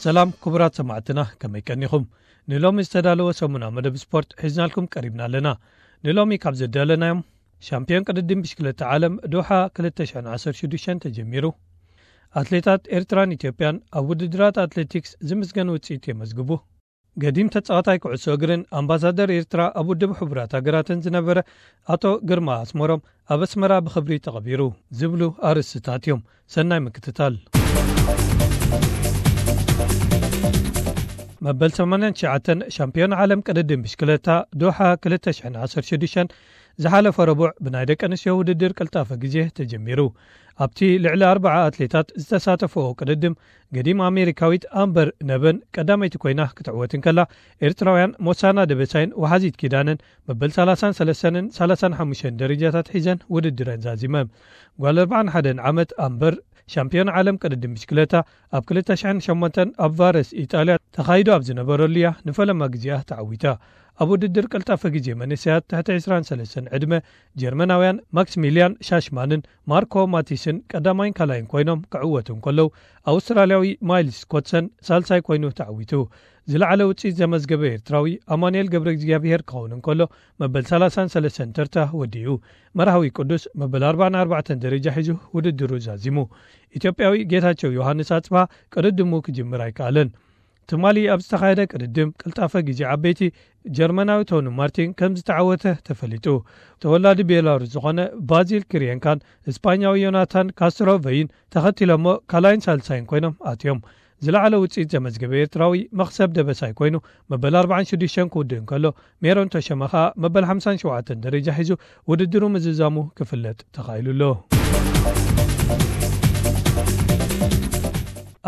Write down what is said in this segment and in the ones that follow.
ሰላም ክቡራት ሰማዕትና፣ ከመይ ቀኒኹም? ንሎሚ ዝተዳለወ ሰሙና መደብ ስፖርት ሒዝናልኩም ቀሪብና ኣለና። ንሎሚ ካብ ዘዳለናዮም፣ ሻምፒዮን ቅድድም ብሽክለታ ዓለም ዶሓ ክልተ ሽሕን ዓሰርተ ሽዱሽተን ተጀሚሩ። ኣትሌታት ኤርትራን ኢትዮጵያን ኣብ ውድድራት ኣትሌቲክስ ዝምስገን ውጽኢት የመዝግቡ። ገዲም ተጻዋታይ ኩዕሶ እግርን ኣምባሳደር ኤርትራ ኣብ ውድብ ሕቡራት ሃገራትን ዝነበረ ኣቶ ግርማ ኣስመሮም ኣብ ኣስመራ ብኽብሪ ተቐቢሩ ዝብሉ ኣርእስትታት እዮም። ሰናይ ምክትታል። መበል ሰማንያን ትሽዓተን ሻምፒዮን ዓለም ቅድድም ብሽክለታ ዶሓ ክልተ ሽሕን ዓሰርተ ሽዱሽተን ዝሓለፈ ረቡዕ ብናይ ደቂ ኣንስትዮ ውድድር ቅልጣፈ ግዜ ተጀሚሩ። ኣብቲ ልዕሊ ኣርባዓ ኣትሌታት ዝተሳተፈኦ ቅድድም፣ ገዲም ኣሜሪካዊት ኣምበር ነቨን ቀዳመይቲ ኮይና ክትዕወት እንከላ፣ ኤርትራውያን ሞሳና ደበሳይን ወሓዚት ኪዳነን መበል ሰላሳን ሰለስተን ሰላሳን ሓሙሽተን ደረጃታት ሒዘን ውድድረን ዛዚመ። ጓል ኣርባዓን ሓደን ዓመት ኣምበር፣ ሻምፒዮን ዓለም ቅድድም ብሽክለታ፣ ኣብ ክልተ ሽሕን ሸሞንተን ኣብ ቫረስ ኢጣልያ ተኻይዶ ኣብ ዝነበረሉ እያ ንፈለማ ግዜኣ ተዓዊታ። ኣብ ውድድር ቀልጣፈ ግዜ መንእሰያት ትሕቲ ዕስራን ሰለስተን ዕድመ፣ ጀርመናውያን ማክስሚልያን ሻሽማንን ማርኮ ማቲስን ቀዳማይን ካልኣይን ኮይኖም ክዕወቱ እንከለዉ፣ ኣውስትራልያዊ ማይልስ ኮትሰን ሳልሳይ ኮይኑ ተዓዊቱ። ዝለዓለ ውጽኢት ዘመዝገበ ኤርትራዊ ኣማኑኤል ገብረ እግዚኣብሄር ክኸውን እንከሎ፣ መበል ሰላሳን ሰለስተን ተርታ ወዲኡ። መርሃዊ ቅዱስ መበል ኣርባዓን ኣርባዕተን ደረጃ ሒዙ ውድድሩ ዛዚሙ። ኢትዮጵያዊ ጌታቸው ዮሃንስ ኣጽብሃ ቅድድሙ ክጅምር ኣይከኣለን። ትማሊ ኣብ ዝተኻየደ ቅድድም ቅልጣፈ ግዜ ዓበይቲ፣ ጀርመናዊ ቶኒ ማርቲን ከም ዝተዓወተ ተፈሊጡ። ተወላዲ ቤላሩስ ዝኾነ ባዚል ክሪየንካን እስፓኛዊ ዮናታን ካስትሮቨይን ተኸቲሎሞ ካልኣይን ሳልሳይን ኮይኖም ኣትዮም። ዝለዓለ ውጽኢት ዘመዝገበ ኤርትራዊ መኽሰብ ደበሳይ ኮይኑ መበል ኣርባዓን ሽዱሽተን ክውድእ እንከሎ፣ ሜሮን ተሸመ ኸኣ መበል ሓምሳን ሸውዓተን ደረጃ ሒዙ ውድድሩ ምዝዛሙ ክፍለጥ ተኻኢሉ ኣሎ።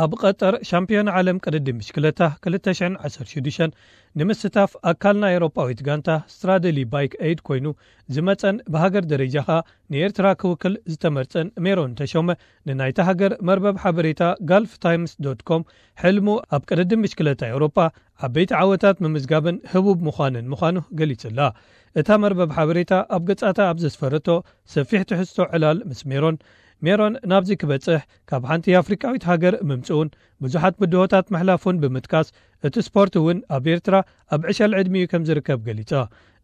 ኣብ ቀጠር ሻምፒዮን ዓለም ቅድድም ብሽክለታ ክልተ ሽሕን ዓሰርተ ሽዱሽተን ንምስታፍ ኣካል ናይ ኤውሮጳዊት ጋንታ ስትራደሊ ባይክ ኤይድ ኮይኑ ዝመጸን ብሃገር ደረጃ ኸኣ ንኤርትራ ክውክል ዝተመርጸን ሜሮን ተሾመ ንናይታ ሃገር መርበብ ሓበሬታ ጋልፍ ታይምስ ዶት ኮም ሕልሙ ኣብ ቅድድም ብሽክለታ ኤውሮጳ ዓበይቲ ዓወታት ምምዝጋብን ህቡብ ምዃንን ምዃኑ ገሊጹላ። እታ መርበብ ሓበሬታ ኣብ ገጻታ ኣብ ዘስፈረቶ ሰፊሕ ትሕዝቶ ዕላል ምስ ሜሮን፣ ሜሮን ናብዚ ክበጽሕ ካብ ሓንቲ ኣፍሪቃዊት ሃገር ምምጽኡን ብዙሓት ብድሆታት ምሕላፉን ብምጥቃስ፣ እቲ ስፖርት እውን ኣብ ኤርትራ ኣብ ዕሸል ዕድሚኡ ከም ዝርከብ ገሊጻ።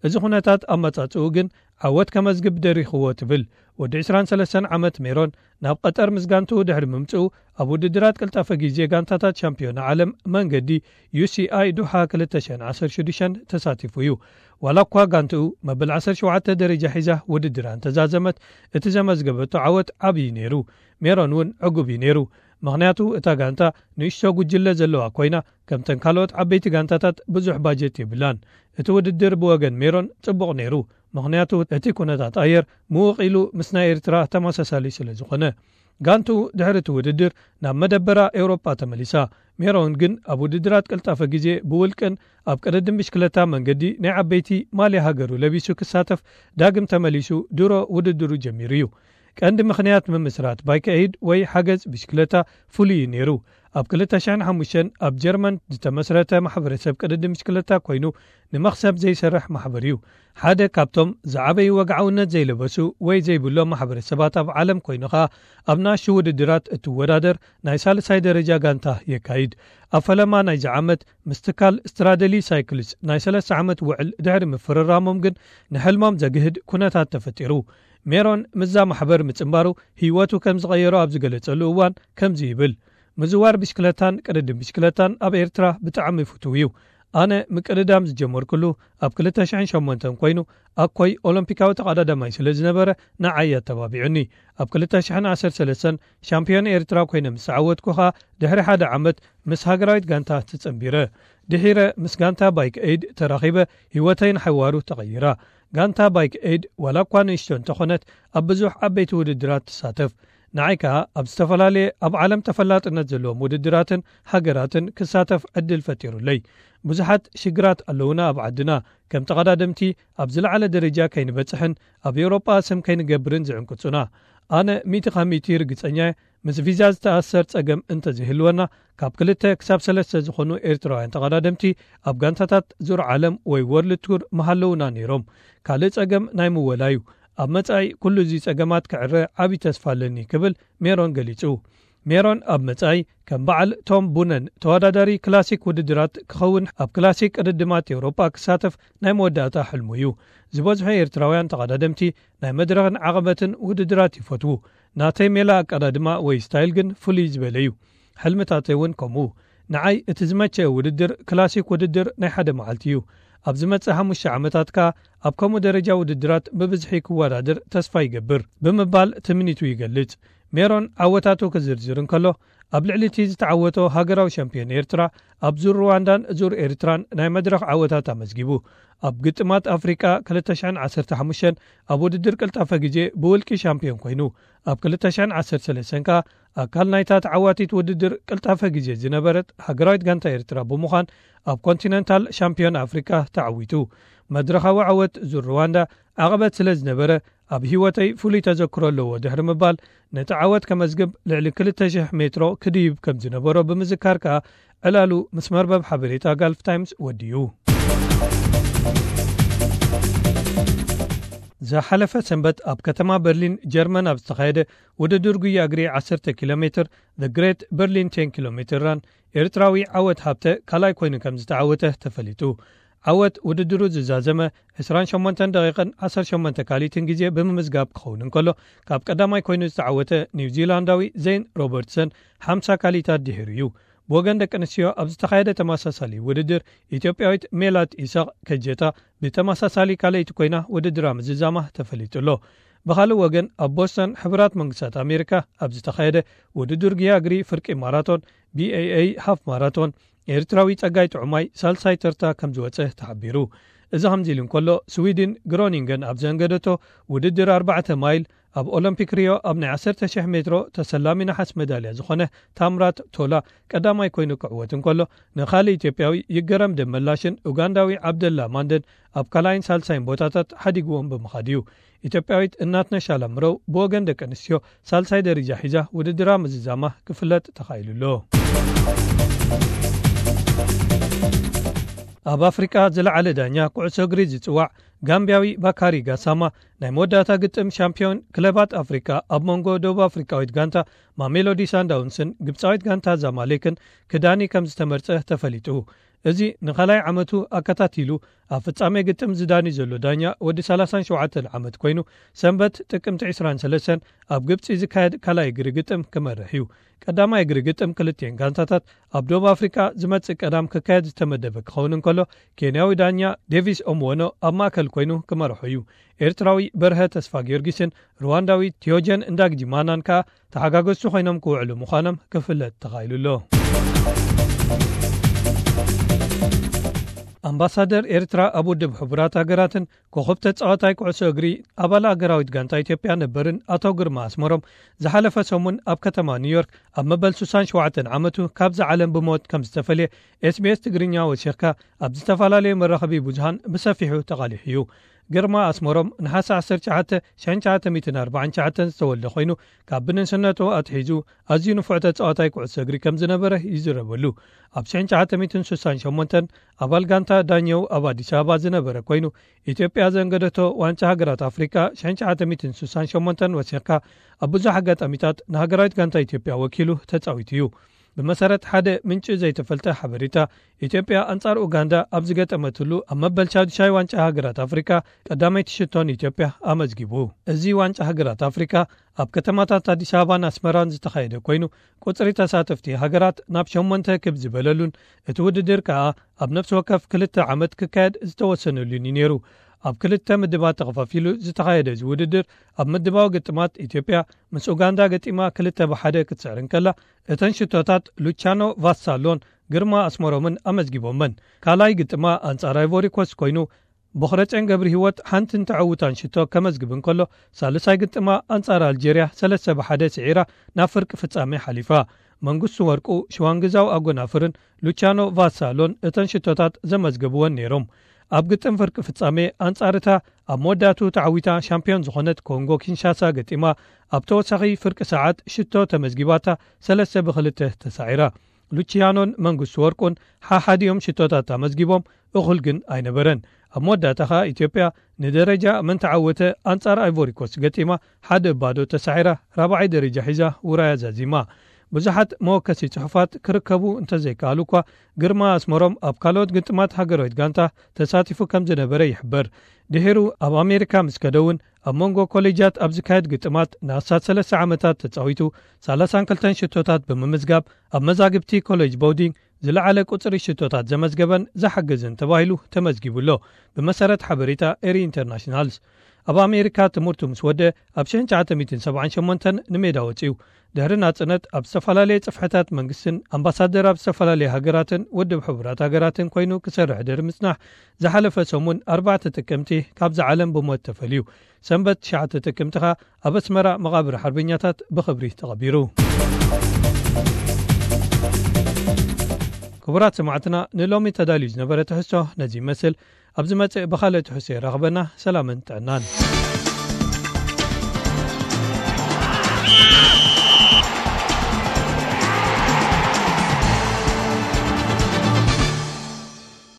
እዚ ኩነታት ኣመጻጽኡ ግን ዓወት ከመዝግብ ደሪኽዎ ትብል። ወዲ ዕስራን ሰለስተን ዓመት ሜሮን ናብ ቀጠር ምስ ጋንትኡ ድሕሪ ምምጽኡ፣ ኣብ ውድድራት ቅልጣፈ ግዜ ጋንታታት ሻምፒዮና ዓለም መንገዲ ዩ ሲ ኣይ ዱሓ ክልተ ሽሕን ዓሰርተ ሽዱሽተን ተሳቲፉ እዩ። ዋላ እኳ ጋንትኡ መበል ዓሰርተ ሸውዓተ ደረጃ ሒዛ ውድድራ እንተዛዘመት፣ እቲ ዘመዝገበቶ ዓወት ዓብዪ ነይሩ። ሜሮን እውን ዕጉብ እዩ ነይሩ። ምኽንያቱ እታ ጋንታ ንእሽቶ ጉጅለ ዘለዋ ኮይና፣ ከምተን ካልኦት ዓበይቲ ጋንታታት ብዙሕ ባጀት የብላን። እቲ ውድድር ብወገን ሜሮን ጽቡቕ ነይሩ። ምኽንያቱ እቲ ኩነታት ኣየር ምውቕ ኢሉ ምስ ናይ ኤርትራ ተመሳሳሊ ስለ ዝኾነ። ጋንትኡ ድሕሪ እቲ ውድድር ናብ መደበራ ኤውሮጳ ተመሊሳ። ሜሮን ግን ኣብ ውድድራት ቅልጣፈ ግዜ ብውልቅን ኣብ ቅድድም ብሽክለታ መንገዲ ናይ ዓበይቲ ማልያ ሃገሩ ለቢሱ ክሳተፍ ዳግም ተመሊሱ ድሮ ውድድሩ ጀሚሩ እዩ። ቀንዲ ምኽንያት ምምስራት ባይክ ኤይድ ወይ ሓገዝ ብሽክለታ ፍሉይ እዩ ነይሩ። ኣብ ክልተ ሽሕን ሓሙሽተን ኣብ ጀርመን ዝተመስረተ ማሕበረሰብ ቅድድም ብሽክለታ ኮይኑ፣ ንመኽሰብ ዘይሰርሕ ማሕበር እዩ። ሓደ ካብቶም ዝዓበዩ ወግዓውነት ዘይለበሱ ወይ ዘይብሎም ማሕበረሰባት ኣብ ዓለም ኮይኑ ኸኣ፣ ኣብ ንኣሽቱ ውድድራት እትወዳደር ናይ ሳልሳይ ደረጃ ጋንታ የካይድ። ኣብ ፈለማ ናይዚ ዓመት ምስ ትካል ስትራደሊ ሳይክልስ ናይ ሰለስተ ዓመት ውዕል ድሕሪ ምፍርራሞም ግን፣ ንሕልሞም ዘግህድ ኩነታት ተፈጢሩ። ሜሮን ምስዛ ማሕበር ምጽንባሩ ህይወቱ ከም ዝቐየሮ ኣብ ዝገለጸሉ እዋን ከምዚ ይብል። ምዝዋር ብሽክለታን ቅድድም ብሽክለታን ኣብ ኤርትራ ብጣዕሚ ፍቱው እዩ። ኣነ ምቅድዳም ዝጀመርኩሉ ኣብ ክልተ ሽሕን ሸሞንተን ኮይኑ፣ ኣኮይ ኦሎምፒካዊ ተቐዳዳማይ ስለ ዝነበረ ንዓይ ኣተባቢዑኒ። ኣብ ክልተ ሽሕን ዓሰርተ ሰለስተን ሻምፒዮን ኤርትራ ኮይነ ምስ ተዓወትኩ ኸኣ፣ ድሕሪ ሓደ ዓመት ምስ ሃገራዊት ጋንታ ተጸንቢረ። ድሒረ ምስ ጋንታ ባይክ ኤይድ ተራኺበ፣ ህይወተይ ንሓዋሩ ተቐይራ። ጋንታ ባይክ ኤይድ ዋላ እኳ ንእሽቶ እንተኾነት፣ ኣብ ብዙሕ ዓበይቲ ውድድራት ትሳተፍ። ንዓይ ከኣ ኣብ ዝተፈላለየ ኣብ ዓለም ተፈላጥነት ዘለዎም ውድድራትን ሃገራትን ክሳተፍ ዕድል ፈጢሩለይ። ብዙሓት ሽግራት ኣለዉና ኣብ ዓድና፣ ከም ተቐዳደምቲ ኣብ ዝለዓለ ደረጃ ከይንበጽሕን ኣብ ኤውሮጳ ስም ከይንገብርን ዝዕንቅጹና። ኣነ ሚእቲ ካብ ሚእቲ ርግጸኛ እየ፣ ምስ ቪዛ ዝተኣሰር ጸገም እንተዘይህልወና፣ ካብ ክልተ ክሳብ ሰለስተ ዝኾኑ ኤርትራውያን ተቐዳደምቲ ኣብ ጋንታታት ዙር ዓለም ወይ ወርልድ ቱር ምሃለዉና ነይሮም። ካልእ ጸገም ናይ ምወላ እዩ። ኣብ መጻኢ ኩሉ እዚ ጸገማት ክዕረ ዓቢ ተስፋ ኣለኒ ክብል ሜሮን ገሊጹ። ሜሮን ኣብ መጻኢ ከም በዓል ቶም ቡነን ተወዳዳሪ ክላሲክ ውድድራት ክኸውን፣ ኣብ ክላሲክ ቅድድማት ኤውሮጳ ክሳተፍ ናይ መወዳእታ ሕልሙ እዩ። ዝበዝሑ ኤርትራውያን ተቐዳደምቲ ናይ መድረኽን ዓቐበትን ውድድራት ይፈትዉ። ናተይ ሜላ ኣቀዳድማ ወይ ስታይል ግን ፍሉይ ዝበለ እዩ። ሕልምታተይ እውን ከምኡ። ንዓይ እቲ ዝመቸ ውድድር ክላሲክ ውድድር ናይ ሓደ መዓልቲ እዩ። ኣብ ዝመጽእ ሓሙሽተ ዓመታት ከኣ ኣብ ከምኡ ደረጃ ውድድራት ብብዝሒ ክወዳደር ተስፋ ይገብር ብምባል ትምኒቱ ይገልጽ። ሜሮን ዓወታቱ ክዝርዝር እንከሎ፣ ኣብ ልዕሊ እቲ ዝተዓወቶ ሃገራዊ ሻምፒዮን ኤርትራ፣ ኣብ ዙር ሩዋንዳን ዙር ኤርትራን ናይ መድረኽ ዓወታት ኣመዝጊቡ። ኣብ ግጥማት ኣፍሪቃ ክልተ ሽሕን ዓሰርተ ሓሙሽተን ኣብ ውድድር ቅልጣፈ ግዜ ብውልቂ ሻምፒዮን ኮይኑ፣ ኣብ ክልተ ሽሕን ዓሰርተ ሰለስተን ከኣ ኣካል ናይታ ተዓዋቲት ውድድር ቅልጣፈ ግዜ ዝነበረት ሃገራዊት ጋንታ ኤርትራ ብምዃን ኣብ ኮንቲነንታል ሻምፒዮን ኣፍሪቃ ተዓዊቱ። መድረኻዊ ዓወት ዙር ሩዋንዳ ዓቐበት ስለ ዝነበረ ኣብ ህይወተይ ፍሉይ ተዘክሮ ኣለዎ ድሕሪ ምባል፣ ነቲ ዓወት ከመዝግብ ልዕሊ ክልተ ሽሕ ሜትሮ ክድይብ ከም ዝነበሮ ብምዝካር ከኣ ዕላሉ ምስ መርበብ ሓበሬታ ጋልፍ ታይምስ ወዲኡ። ዝሓለፈ ሰንበት ኣብ ከተማ በርሊን ጀርመን ኣብ ዝተኻየደ ውድድር ጉያ እግሪ ዓሰርተ ኪሎ ሜትር፣ The Great Berlin ten ኪሎ ሜትር ራን፣ ኤርትራዊ ዓወት ሃብተ ካልኣይ ኮይኑ ከም ዝተዓወተ ተፈሊጡ። ዓወት ውድድሩ ዝዛዘመ ዕስራን ሸሞንተን ደቂቕን ዓሰርተ ሸሞንተ ካልኢትን ግዜ ብምምዝጋብ ክኸውን እንከሎ፣ ካብ ቀዳማይ ኮይኑ ዝተዓወተ ኒውዚላንዳዊ ዜን ሮበርትሰን ሓምሳ ካልኢታት ድሒሩ እዩ። ብወገን ደቂ ኣንስትዮ ኣብ ዝተኻየደ ተመሳሳሊ ውድድር፣ ኢትዮጵያዊት ሜላት ኢሳቕ ከጀታ ብተመሳሳሊ ካልኣይቲ ኮይና ውድድራ ምዝዛማ ተፈሊጡ ኣሎ። ብኻልእ ወገን፣ ኣብ ቦስተን ሕቡራት መንግስታት ኣሜሪካ ኣብ ዝተኻየደ ውድድር ግያ እግሪ ፍርቂ ማራቶን፣ ቢ ኤ ኤ ሃፍ ማራቶን፣ ኤርትራዊ ጸጋይ ጥዑማይ ሳልሳይ ተርታ ከም ዝወጸ ተሓቢሩ። እዚ ከምዚ ኢሉ እንከሎ፣ ስዊድን ግሮኒንገን ኣብ ዘንገደቶ ውድድር ኣርባዕተ ማይል ኣብ ኦሎምፒክ ሪዮ ኣብ ናይ ዓሰርተ ሽሕ ሜትሮ ተሰላሚ ነሓስ መዳልያ ዝኾነ ታምራት ቶላ ቀዳማይ ኮይኑ ክዕወት እንከሎ፣ ንኻልእ ኢትዮጵያዊ ይገረም ደመላሽን ኡጋንዳዊ ዓብደላ ማንደን ኣብ ካልኣይን ሳልሳይን ቦታታት ሓዲግዎም ብምኻድ እዩ። ኢትዮጵያዊት እናትነሽ ኣላምረው ብወገን ደቂ ኣንስትዮ ሳልሳይ ደረጃ ሒዛ ውድድራ ምዝዛማ ክፍለጥ ተኻኢሉ ኣሎ። ኣብ ኣፍሪቃ ዝለዓለ ዳኛ ኩዕሶ እግሪ ዝጽዋዕ ጋምቢያዊ ባካሪ ጋሳማ፣ ናይ መወዳእታ ግጥም ሻምፒዮን ክለባት ኣፍሪቃ ኣብ መንጎ ደቡብ ኣፍሪቃዊት ጋንታ ማሜሎዲ ሳንዳውንስን ግብጻዊት ጋንታ ዛማሌክን ክዳኒ ከም ዝተመርጸ ተፈሊጡ። እዚ ንኻልኣይ ዓመቱ ኣከታቲሉ ኣብ ፍጻሜ ግጥም ዝዳኒ ዘሎ ዳኛ ወዲ ሰላሳን ሸውዓተን ዓመት ኮይኑ፣ ሰንበት ጥቅምቲ ዕስራን ሰለስተን ኣብ ግብጺ ዝካየድ ካልኣይ እግሪ ግጥም ክመርሕ እዩ። ቀዳማይ እግሪ ግጥም ክልቲኤን ጋንታታት ኣብ ደቡብ ኣፍሪቃ ዝመጽእ ቀዳም ክካየድ ዝተመደበ ክኸውን እንከሎ፣ ኬንያዊ ዳኛ ዴቪስ ኦምወኖ ኣብ ማእከል ኮይኑ ክመርሖ እዩ። ኤርትራዊ በርሀ ተስፋ ጊዮርጊስን ሩዋንዳዊ ቲዮጀን እንዳግጂማናን ከኣ ተሓጋገዝቲ ኮይኖም ክውዕሉ ምዃኖም ክፍለጥ ተኻኢሉ ኣሎ። ኣምባሳደር ኤርትራ ኣብ ውድብ ሕቡራት ሃገራትን ኮኸብ ተጻዋታይ ኩዕሶ እግሪ ኣባል ኣገራዊት ጋንታ ኢትዮጵያ ነበርን ኣቶ ግርማ ኣስመሮም፣ ዝሓለፈ ሰሙን ኣብ ከተማ ኒውዮርክ ኣብ መበል ሱሳን ሸውዓተን ዓመቱ ካብዛ ዓለም ብሞት ከም ዝተፈልየ ኤስ ቢ ኤስ ትግርኛ ወሲኽካ ኣብ ዝተፈላለዩ መራኸቢ ብዙሃን ብሰፊሑ ተቓሊሑ እዩ። ግርማ ኣስመሮም ነሓሰ ዓሰርተ ትሽዓተ ሽሕን ትሽዓተ ሚእትን ኣርባዓን ትሽዓተን ዝተወልደ ኮይኑ፣ ካብ ብንእስነቱ ኣትሒዙ ኣዝዩ ንፉዕ ተጻዋታይ ኩዕሶ እግሪ ከም ዝነበረ ይዝረበሉ። ኣብ ሽሕን ትሽዓተ ሚእትን ሱሳን ሸሞንተን ኣባል ጋንታ ዳኘው ኣብ ኣዲስ ኣበባ ዝነበረ ኮይኑ፣ ኢትዮጵያ ዘንገደቶ ዋንጫ ሃገራት ኣፍሪቃ ሽሕን ትሽዓተ ሚእትን ሱሳን ሸሞንተን ወሲኽካ፣ ኣብ ብዙሕ ኣጋጣሚታት ንሃገራዊት ጋንታ ኢትዮጵያ ወኪሉ ተጻዊቱ እዩ። ብመሰረት ሓደ ምንጪ ዘይተፈልጠ ሓበሬታ፣ ኢትዮጵያ ኣንጻር ኡጋንዳ ኣብ ዝገጠመትሉ ኣብ መበል ሻዱሻይ ዋንጫ ሃገራት ኣፍሪቃ ቀዳመይቲ ሽቶ ንኢትዮጵያ ኣመዝጊቡ። እዚ ዋንጫ ሃገራት ኣፍሪቃ ኣብ ከተማታት ኣዲስ ኣበባን ኣስመራን ዝተኻየደ ኮይኑ፣ ቁጽሪ ተሳተፍቲ ሃገራት ናብ ሸሞንተ ክብ ዝበለሉን እቲ ውድድር ከኣ ኣብ ነፍሲ ወከፍ ክልተ ዓመት ክካየድ ዝተወሰነሉን እዩ ነይሩ። ኣብ ክልተ ምድባት ተኸፋፊሉ ዝተኻየደ እዚ ውድድር፣ ኣብ ምድባዊ ግጥማት ኢትዮጵያ ምስ ኡጋንዳ ገጢማ ክልተ ብሓደ ክትስዕር እንከላ፣ እተን ሽቶታት ሉቻኖ ቫሳሎን ግርማ ኣስመሮምን ኣመዝጊቦመን። ካልኣይ ግጥማ ኣንጻር ኣይቮሪ ኮስት ኮይኑ፣ ቦኽረጼን ገብረ ህይወት ሓንትን ተዐውታን ሽቶ ከመዝግብ እንከሎ፣ ሳልሳይ ግጥማ ኣንጻር ኣልጀርያ ሰለስተ ብሓደ ስዒራ ናብ ፍርቂ ፍጻሜ ሓሊፋ። መንግስቱ ወርቁ፣ ሽዋንግዛው ኣጎናፍርን ሉቻኖ ቫሳሎን እተን ሽቶታት ዘመዝገቡወን ነይሮም። ኣብ ግጥም ፍርቂ ፍጻሜ ኣንጻር እታ ኣብ መወዳእቱ ተዓዊታ ሻምፒዮን ዝኾነት ኮንጎ ኪንሻሳ ገጢማ፣ ኣብ ተወሳኺ ፍርቂ ሰዓት ሽቶ ተመዝጊባታ ሰለስተ ብክልተ ተሳዒራ። ሉቺያኖን መንግስቱ ወርቁን ሓሓዲኦም ሽቶታት ኣመዝጊቦም፣ እኹል ግን ኣይነበረን። ኣብ መወዳእታ ኸኣ ኢትዮጵያ ንደረጃ መን ተዓወተ ኣንጻር ኣይቮሪኮስ ገጢማ ሓደ ባዶ ተሳዒራ ራብዓይ ደረጃ ሒዛ ውራያ ዛዚማ። ብዙሓት መወከሲ ጽሑፋት ክርከቡ እንተዘይከኣሉ እኳ፣ ግርማ ኣስመሮም ኣብ ካልኦት ግጥማት ሃገራዊት ጋንታ ተሳቲፉ ከም ዝነበረ ይሕበር። ድሒሩ ኣብ ኣሜሪካ ምስ ከደ እውን፣ ኣብ መንጎ ኮሌጃት ኣብ ዝካየድ ግጥማት ንኣስታት ሰለስተ ዓመታት ተጻዊቱ፣ ሰላሳን ክልተን ሽቶታት ብምምዝጋብ፣ ኣብ መዛግብቲ ኮሌጅ ቦውዲንግ ዝለዓለ ቁጽሪ ሽቶታት ዘመዝገበን ዝሓገዘን ተባሂሉ ተመዝጊቡ ኣሎ። ብመሰረት ሓበሬታ ኤሪ ኢንተርናሽናልስ፣ ኣብ ኣሜሪካ ትምህርቱ ምስ ወደ ኣብ ሽሕን ትሽዓተ ሚእትን ሰብዓን ሸሞንተን ንሜዳ ወጺኡ። ድሕሪ ናጽነት ኣብ ዝተፈላለየ ጽፍሕታት መንግስትን ኣምባሳደር ኣብ ዝተፈላለየ ሃገራትን ውድብ ሕቡራት ሃገራትን ኮይኑ ክሰርሕ ድሕሪ ምጽናሕ፣ ዝሓለፈ ሰሙን ኣርባዕተ ጥቅምቲ ካብዛ ዓለም ብሞት ተፈልዩ። ሰንበት ትሽዓተ ጥቅምቲ ኸኣ ኣብ ኣስመራ መቓብር ሓርበኛታት ብኽብሪ ተቐቢሩ። ክቡራት ሰማዕትና፣ ንሎሚ ተዳልዩ ዝነበረ ትሕዝቶ ነዚ ይመስል። ኣብ ዝመጽእ ብኻልእ ትሕዝቶ የራኽበና። ሰላምን ጥዕናን።